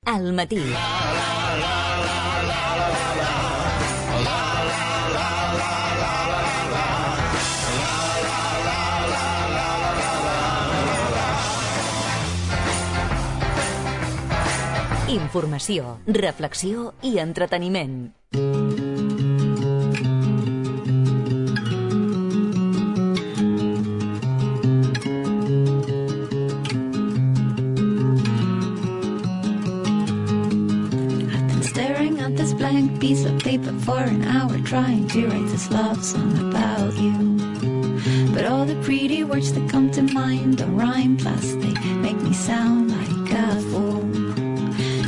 al matí. Informació, reflexió i entreteniment. Blank piece of paper for an hour trying to write this love song about you. But all the pretty words that come to mind don't rhyme, plus they make me sound like a fool.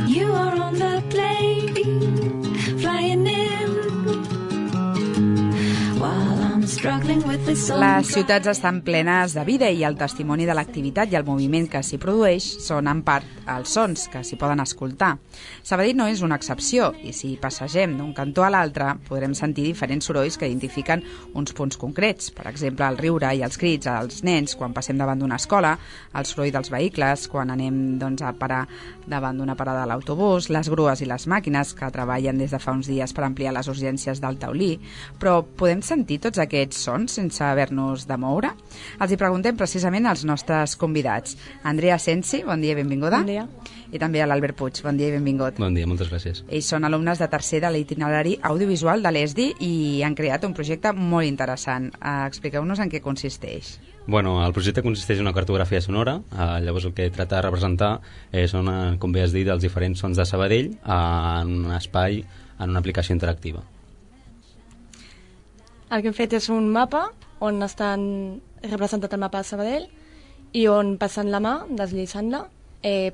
You are on the plane, flying in, while I'm struggling with this song. Les ciutats estan plenes de vida i el testimoni de l'activitat i el moviment que s'hi produeix són en part els sons que s'hi poden escoltar. Sabadell no és una excepció i si passegem d'un cantó a l'altre podrem sentir diferents sorolls que identifiquen uns punts concrets. Per exemple, el riure i els crits als nens quan passem davant d'una escola, el soroll dels vehicles quan anem a parar davant d'una parada de l'autobús, les grues i les màquines que treballen des de fa uns dies per ampliar les urgències del taulí. Però podem sentir tots aquests sons sense haver-nos de moure? Els hi preguntem precisament als nostres convidats. Andrea Sensi, bon dia i benvinguda. Bon dia. I també a l'Albert Puig, bon dia i benvingut. Bon dia, moltes gràcies. Ells són alumnes de tercer de l'itinerari audiovisual de l'ESDI i han creat un projecte molt interessant. Expliqueu-nos en què consisteix. Bueno, el projecte consisteix en una cartografia sonora. Llavors el que tracta de representar són, com bé has dit, els diferents sons de Sabadell en un espai, en una aplicació interactiva. El que hem fet és un mapa on estan representat el mapa de Sabadell i on passant la mà, deslliçant-la,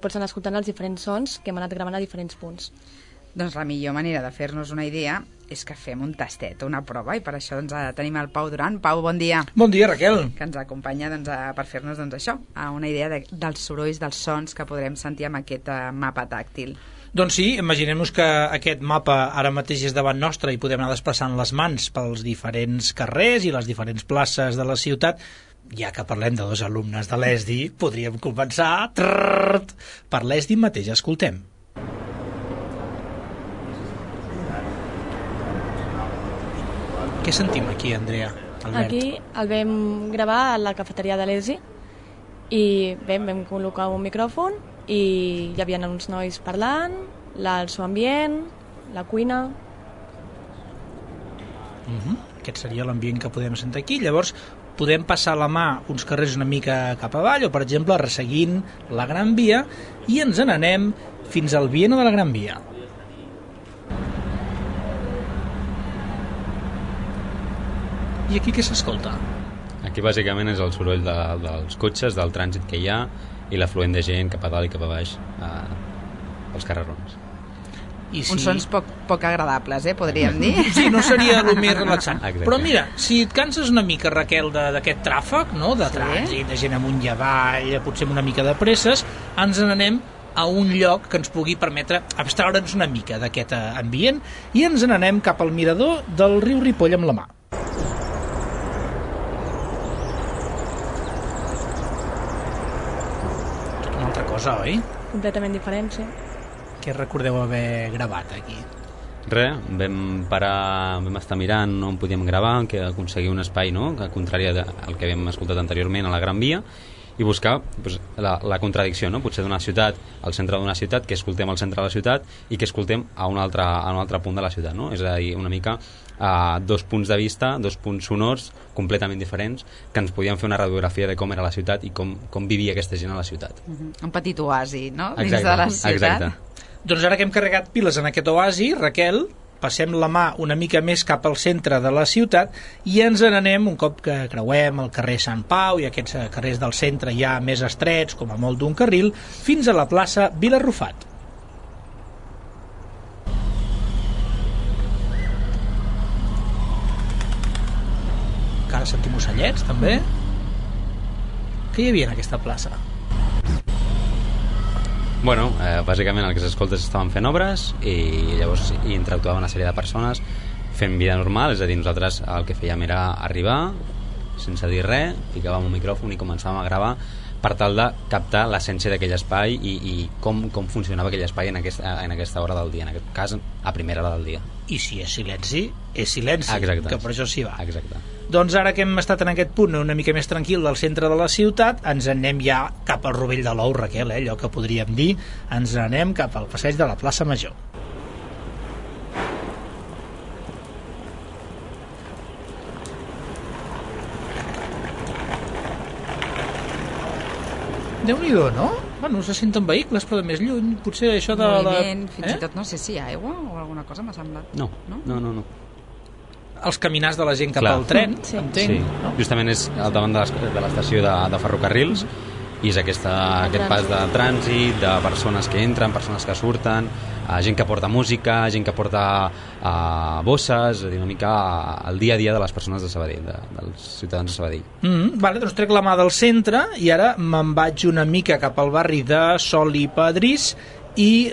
pots anar escoltant els diferents sons que hem anat gravant a diferents punts. Doncs la millor manera de fer-nos una idea és que fem un tastet, una prova, i per això tenim el Pau Duran. Pau, bon dia. Bon dia, Raquel. Que ens acompanya per fer-nos això, una idea dels sorolls, dels sons que podrem sentir amb aquest mapa tàctil. Doncs sí, imaginem-nos que aquest mapa ara mateix és davant nostre i podem anar desplaçant les mans pels diferents carrers i les diferents places de la ciutat. Ja que parlem de dos alumnes de l'ESDI, podríem començar per l'ESDI mateix. Escoltem. Què sentim aquí, Andrea? Albert? Aquí el vam gravar a la cafeteria de l'ESDI i vam col·locar un micròfon i hi havia uns nois parlant, el seu ambient, la cuina. Aquest seria l'ambient que podem sentir aquí. Llavors, podem passar la mà uns carrers una mica cap avall o, per exemple, resseguint la Gran Via i ens n'anem fins al Viena de la Gran Via. I aquí què s'escolta? Aquí bàsicament és el soroll dels cotxes, del trànsit que hi ha i l'afluent de gent cap a dalt i cap a baix pels carrerons. Uns sons poc agradables, podríem dir. Sí, no seria el més relaxant. Exacte. Però mira, si et canses una mica, Raquel, d'aquest tràfic, no? De trànsit, de gent amunt i avall, potser una mica de presses, ens n'anem a un lloc que ens pugui permetre abstraure'ns una mica d'aquest ambient i ens n'anem cap al mirador del riu Ripoll amb la mà. Tot una altra cosa, oi? Completament diferent, sí. Què recordeu haver gravat aquí? Vam estar mirant on podíem gravar, que aconseguir un espai, no?, que contrari al que havíem escoltat anteriorment a la Gran Via, i buscar la contradicció, no?, potser d'una ciutat, al centre d'una ciutat, que escoltem al centre de la ciutat i que escoltem a un altre punt de la ciutat, no? És a dir, una mica dos punts de vista, dos punts sonors completament diferents, que ens podien fer una radiografia de com era la ciutat i com vivia aquesta gent a la ciutat. Un petit oasi, no?, exacte, dins de la ciutat. Exacte. Doncs ara que hem carregat piles en aquest oasi, Raquel, passem la mà una mica més cap al centre de la ciutat i ens n'anem, un cop que creuem el carrer Sant Pau i aquests carrers del centre ja més estrets, com a molt d'un carril, fins a la plaça Vilarrufat. Encara sentim ocellets, també. Què hi havia en aquesta plaça? Bueno, bàsicament el que s'escolta és que estaven fent obres i llavors hi interactuava una sèrie de persones fent vida normal, és a dir, nosaltres el que fèiem era arribar sense dir res, ficàvem un micròfon i començàvem a gravar per tal de captar l'essència d'aquell espai i com funcionava aquell espai en aquesta hora del dia, en aquest cas a primera hora del dia. I si és silenci, exacte, que per això s'hi va. Exacte. Doncs ara que hem estat en aquest punt una mica més tranquil del centre de la ciutat, ens anem ja cap al Rovell de l'Ou, Raquel, allò que podríem dir, ens anem cap al passeig de la plaça Major. Déu-n'hi-do, no? Bueno, se senten vehicles, però de més lluny. Potser això de... Moviment, fins i tot no sé si hi ha aigua o alguna cosa m'ha semblat. No. Els caminars de la gent cap al tren, entenc. Sí. No? Justament és al davant de l'estació de ferrocarrils i és aquest pas de trànsit, de persones que entren, persones que surten, gent que porta música, gent que porta bosses, una mica el dia a dia de les persones de Sabadell, dels ciutadans de Sabadell. Vale, doncs trec la mà del centre i ara me'n vaig una mica cap al barri de Sol i Pedrís i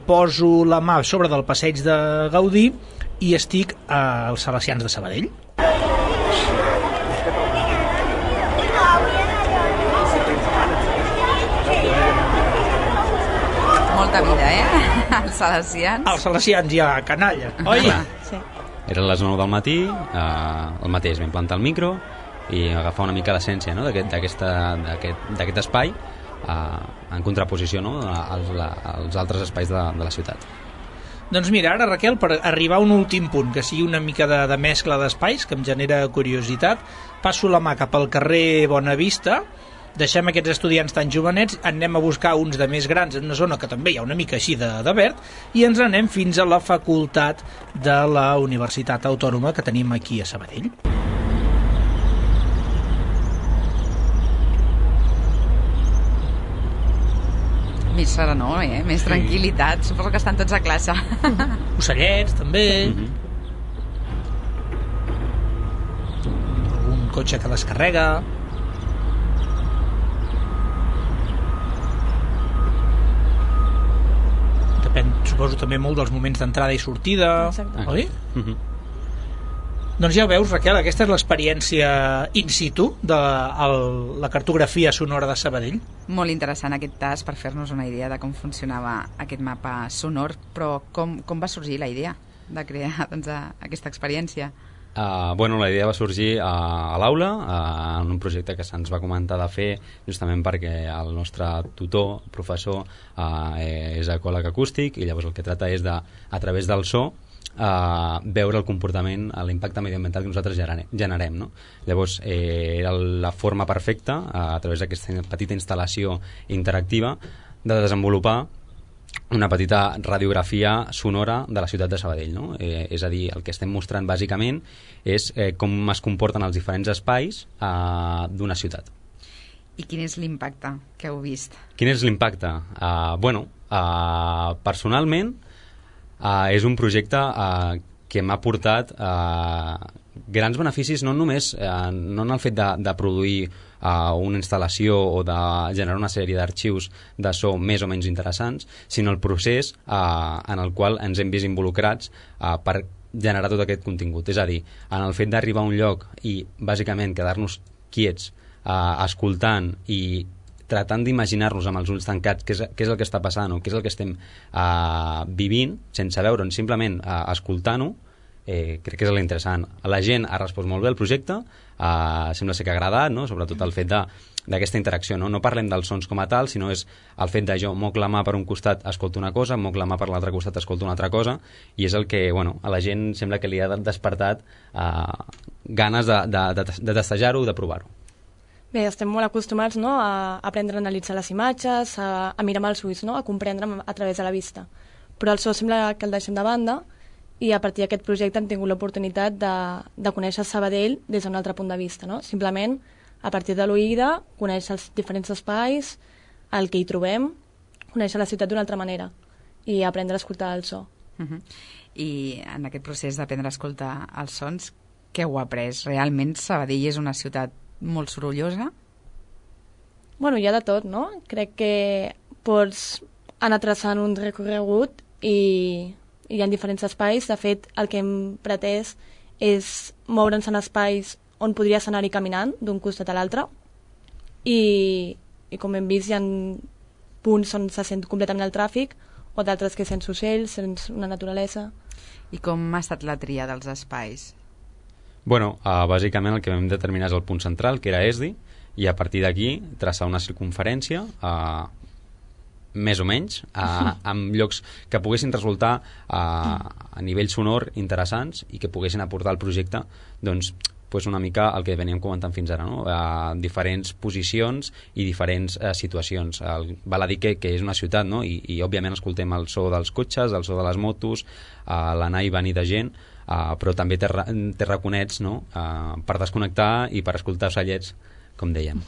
poso la mà sobre del passeig de Gaudí i estic als Salesians de Sabadell. Molta vida, els salesians. Els salesians ja canalla, oi? Sí. Eren les 9 del matí, el mateix vam plantar el micro i agafar una mica l'essència, no? d'aquest espai en contraposició, no? als altres espais de la ciutat. Doncs mira, ara Raquel, per arribar a un últim punt que sigui una mica de mescla d'espais que em genera curiositat, passo la mà cap al carrer Bonavista, deixem aquests estudiants tan jovenets, anem a buscar uns de més grans en una zona que també hi ha una mica així de verd i ens anem fins a la facultat de la Universitat Autònoma que tenim aquí a Sabadell. Més serenor, més tranquil·litat. Suposo que estan tots a classe. Ocellets, també. Algun cotxe que descarrega. Depèn, suposo, també molt dels moments d'entrada i sortida. Exacte. Oi? Doncs ja ho veus, Raquel, aquesta és l'experiència in situ de la cartografia sonora de Sabadell. Molt interessant aquest tas per fer-nos una idea de com funcionava aquest mapa sonor, però com va sorgir la idea de crear aquesta experiència? La idea va sorgir a l'aula, en un projecte que se'ns va comentar de fer justament perquè el nostre tutor, professor, és ecòleg acústic i llavors el que tracta és de, a través del so, veure el comportament, l'impacte mediambiental que nosaltres generem, no? Llavors era la forma perfecta a través d'aquesta petita instal·lació interactiva de desenvolupar una petita radiografia sonora de la ciutat de Sabadell, no? És a dir, el que estem mostrant bàsicament és com es comporten els diferents espais d'una ciutat. I quin és l'impacte que heu vist? Quin és l'impacte? Personalment és un projecte que m'ha portat grans beneficis, no només no en el fet de produir una instal·lació o de generar una sèrie d'arxius de so més o menys interessants, sinó el procés en el qual ens hem vist involucrats per generar tot aquest contingut. És a dir, en el fet d'arribar a un lloc i bàsicament quedar-nos quiets escoltant i tratant d'imaginar-nos amb els ulls tancats què és el que està passant o què és el que estem vivint, sense veure'n, simplement escoltant-ho, crec que és l'interessant. La gent ha respost molt bé al projecte, sembla ser que ha agradat, no? Sobretot el fet d'aquesta interacció. No parlem dels sons com a tal, sinó és el fet de jo moc la mà per un costat, escolto una cosa, moc la mà per l'altre costat, escolto una altra cosa, i és el que a la gent sembla que li ha despertat ganes de testejar-ho, de provar-ho. Bé, estem molt acostumats, no, a aprendre a analitzar les imatges, a mirar amb els ulls, no, a comprendre a través de la vista. Però el so sembla que el deixem de banda i a partir d'aquest projecte hem tingut l'oportunitat de conèixer Sabadell des d'un altre punt de vista, no? Simplement, a partir de l'oïda, conèixer els diferents espais, el que hi trobem, conèixer la ciutat d'una altra manera i aprendre a escoltar el so. I en aquest procés d'aprendre a escoltar els sons, què heu après? Realment Sabadell és una ciutat molt sorollosa? Bueno, hi ha de tot, no? Crec que pots anar traçant un recorregut i hi ha diferents espais. De fet, el que hem pretès és moure'ns en espais on podries anar-hi caminant d'un costat a l'altre i i com hem vist hi ha punts on se sent completament el tràfic o d'altres que sents ocells, sents una naturalesa. I com ha estat la tria dels espais? Bueno, bàsicament el que vam determinar és el punt central, que era ESDI, i a partir d'aquí traçar una circunferència més o menys amb llocs que poguessin resultar a nivell sonor interessants i que poguessin aportar al projecte doncs una mica el que veníem comentant fins ara, no? Diferents posicions i diferents situacions. Val a dir que és una ciutat, no? I òbviament escoltem el so dels cotxes, el so de les motos, l'anar i venir de gent, però també té raconets, no? Per desconnectar i per escoltar ocellets, com dèiem.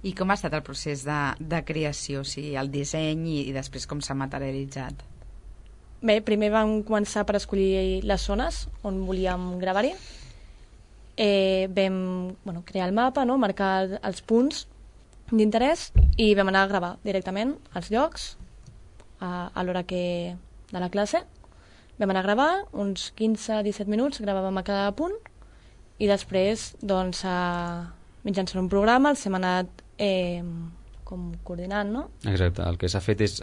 I com ha estat el procés de creació, o sigui, el disseny i després com s'ha materialitzat? Bé, primer vam començar per escollir les zones on volíem gravar-hi. Vam crear el mapa, no? Marcar els punts d'interès i vam anar a gravar directament als llocs a l'hora de la classe. Vam anar a gravar uns 15-17 minuts, gravàvem a cada punt i després doncs, mitjançant un programa els hem anat com coordinant, no? Exacte, el que s'ha fet és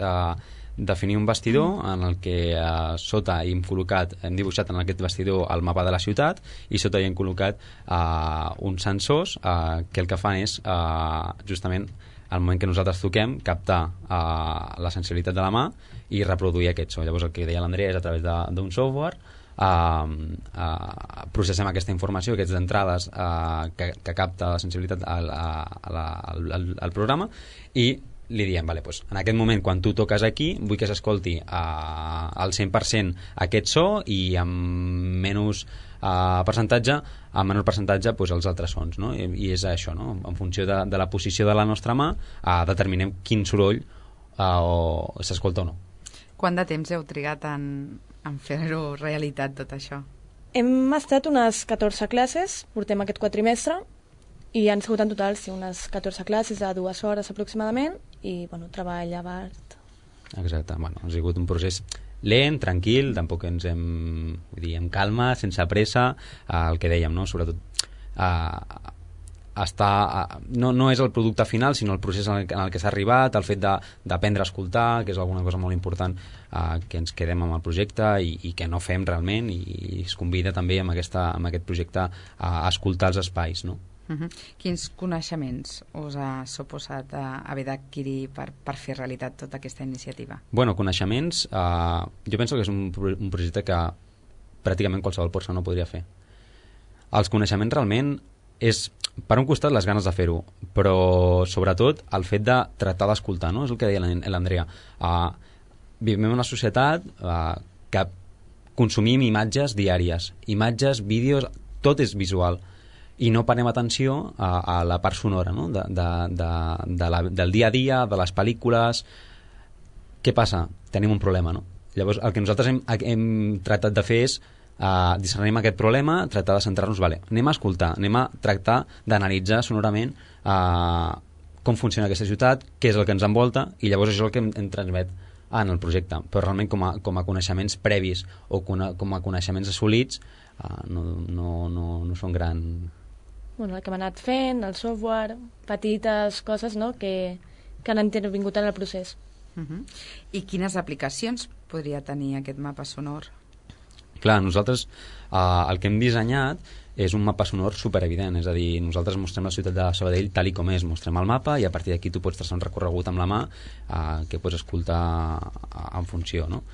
definir un bastidor en el que sota hem col·locat, hem dibuixat en aquest bastidor el mapa de la ciutat i sota hi hem col·locat uns sensors que el que fan és justament al moment que nosaltres toquem captar la sensibilitat de la mà i reproduir aquest so. Llavors el que deia l'Andrea és a través d'un software processem aquesta informació, aquestes entrades que capta la sensibilitat al programa i li diem, vale, doncs, en aquest moment quan tu toques aquí vull que s'escolti al 100% aquest so i amb menys percentatge doncs, els altres sons, no? I és això, no? En funció de la posició de la nostra mà determinem quin soroll s'escolta o no. Quant de temps heu trigat en fer-ho realitat tot això? Hem estat unes 14 classes, portem aquest quatrimestre i han sigut en total unes 14 classes a 2 hores aproximadament i treball abast. Exacte, ha sigut un procés lent, tranquil, tampoc ens hem amb calma, sense pressa, el que dèiem, no? Sobretot no és el producte final sinó el procés en el que s'ha arribat, el fet d'aprendre a escoltar, que és alguna cosa molt important que ens quedem amb el projecte i que no fem realment i es convida també amb aquest projecte a escoltar els espais, no? Quins coneixements us ha suposat haver d'adquirir per fer realitat tota aquesta iniciativa? Bueno, coneixements, jo penso que és un projecte que pràcticament qualsevol persona podria fer. Els coneixements realment és, per un costat, les ganes de fer-ho, però sobretot el fet de tractar d'escoltar, no? És el que deia l'Andrea. Vivim en una societat que consumim imatges diàries, imatges, vídeos, tot és visual i no parem atenció a la part sonora, no? Del dia a dia, de les pel·lícules. Què passa? Tenim un problema, no? Llavors el que nosaltres hem tractat de fer és discernim aquest problema, tractar de centrar-nos, anem a escoltar, anem a tractar d'analitzar sonorament com funciona aquesta ciutat, què és el que ens envolta i llavors això és el que em transmet en el projecte, però realment com a coneixements previs o com a coneixements assolits no són gran. El que hem anat fent, el software, petites coses, no? que han intervingut en el procés. I quines aplicacions podria tenir aquest mapa sonor? Clar, nosaltres el que hem dissenyat és un mapa sonor superevident, és a dir, nosaltres mostrem la ciutat de Sabadell tal i com és, mostrem el mapa i a partir d'aquí tu pots traçar un recorregut amb la mà que pots escoltar en funció, no?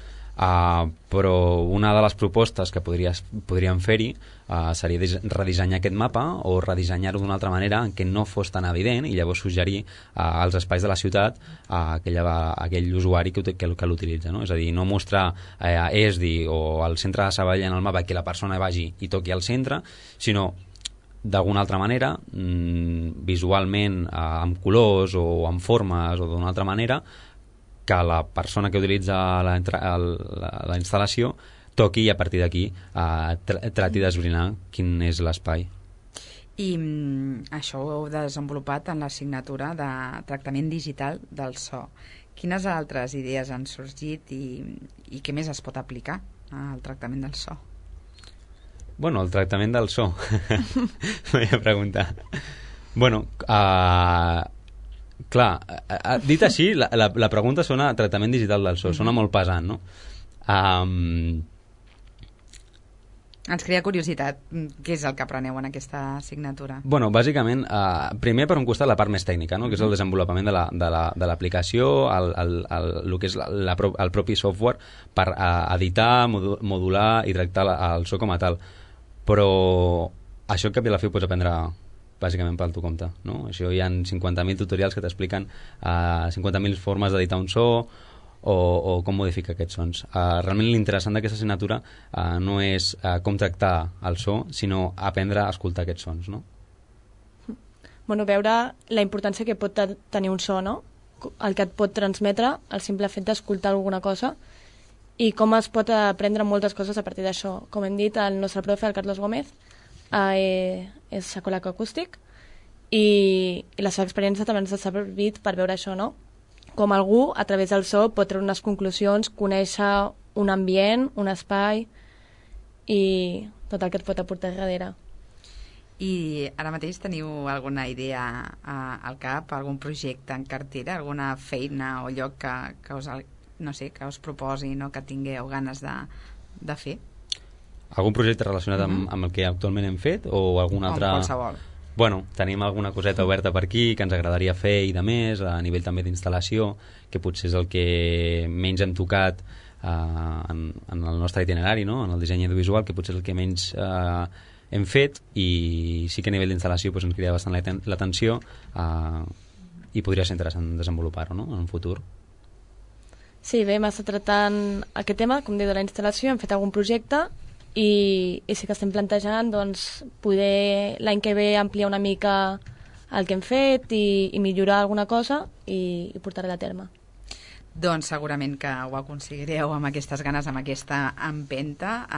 Però una de les propostes que podríem fer-hi seria redissenyar aquest mapa o redissenyar-ho d'una altra manera en què no fos tan evident i llavors suggerir als espais de la ciutat aquell usuari que l'utilitza, no? És a dir, no mostrar ESDI o el centre de Sabadell en el mapa que la persona vagi i toqui al centre, sinó d'alguna altra manera, visualment, amb colors o amb formes o d'una altra manera, que la persona que utilitza la instal·lació toqui i a partir d'aquí trati d'esbrinar quin és l'espai. I això ho heu desenvolupat en l'assignatura de tractament digital del so. Quines altres idees han sorgit i què més es pot aplicar al tractament del so? Bueno, el tractament del so. M'he de preguntar. Bueno, Clar, dit així, la pregunta sona tractament digital del so, sona molt pesant, no? Ens crea curiositat, què és el que apreneu en aquesta assignatura? Bueno, bàsicament, primer per un costat la part més tècnica, no? Que és el desenvolupament de l'aplicació, el que és el propi software per editar, modular i tractar el so com a tal. Però això al cap i a la fi ho pots aprendre bàsicament pel tu compte, no? Això hi ha 50.000 tutorials que t'expliquen 50.000 formes d'editar un so o com modificar aquests sons. Realment l'interessant d'aquesta assignatura no és com tractar el so, sinó aprendre a escoltar aquests sons, no? Bueno, veure la importància que pot tenir un so, no? El que et pot transmetre, el simple fet d'escoltar alguna cosa, i com es pot aprendre moltes coses a partir d'això. Com hem dit, el nostre profe, el Carlos Gómez, és psicòleg acústic, i la seva experiència també ens ha servit per veure això, no? Com algú, a través del so, pot treure unes conclusions, conèixer un ambient, un espai i tot el que et pot aportar darrere. I ara mateix teniu alguna idea al cap, algun projecte en cartera, alguna feina o lloc que us, no sé, que us proposi, no? Que tingueu ganes de fer? Algun projecte relacionat amb el que actualment hem fet o algun altre... Com qualsevol. Bueno, tenim alguna coseta oberta per aquí que ens agradaria fer i de més, a nivell també d'instal·lació, que potser és el que menys hem tocat en el nostre itinerari, no? En el disseny audiovisual, que potser és el que menys hem fet, i sí que a nivell d'instal·lació ens crida bastant l'atenció i podria ser interessant desenvolupar-ho, no? En un futur. Sí, bé, hem estat tractant aquest tema, com diu, de la instal·lació, hem fet algun projecte i sí que estem plantejant doncs, poder l'any que ve ampliar una mica el que hem fet i millorar alguna cosa i portar-la a terme. Doncs segurament que ho aconseguireu amb aquestes ganes, amb aquesta empenta,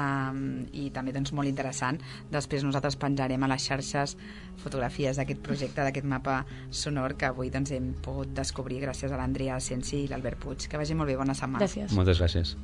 i també doncs, molt interessant. Després nosaltres penjarem a les xarxes fotografies d'aquest projecte, d'aquest mapa sonor que avui doncs, hem pogut descobrir gràcies a l'Andrea Asensi i l'Albert Puig. Que vagi molt bé, bona setmana. Gràcies. Moltes gràcies.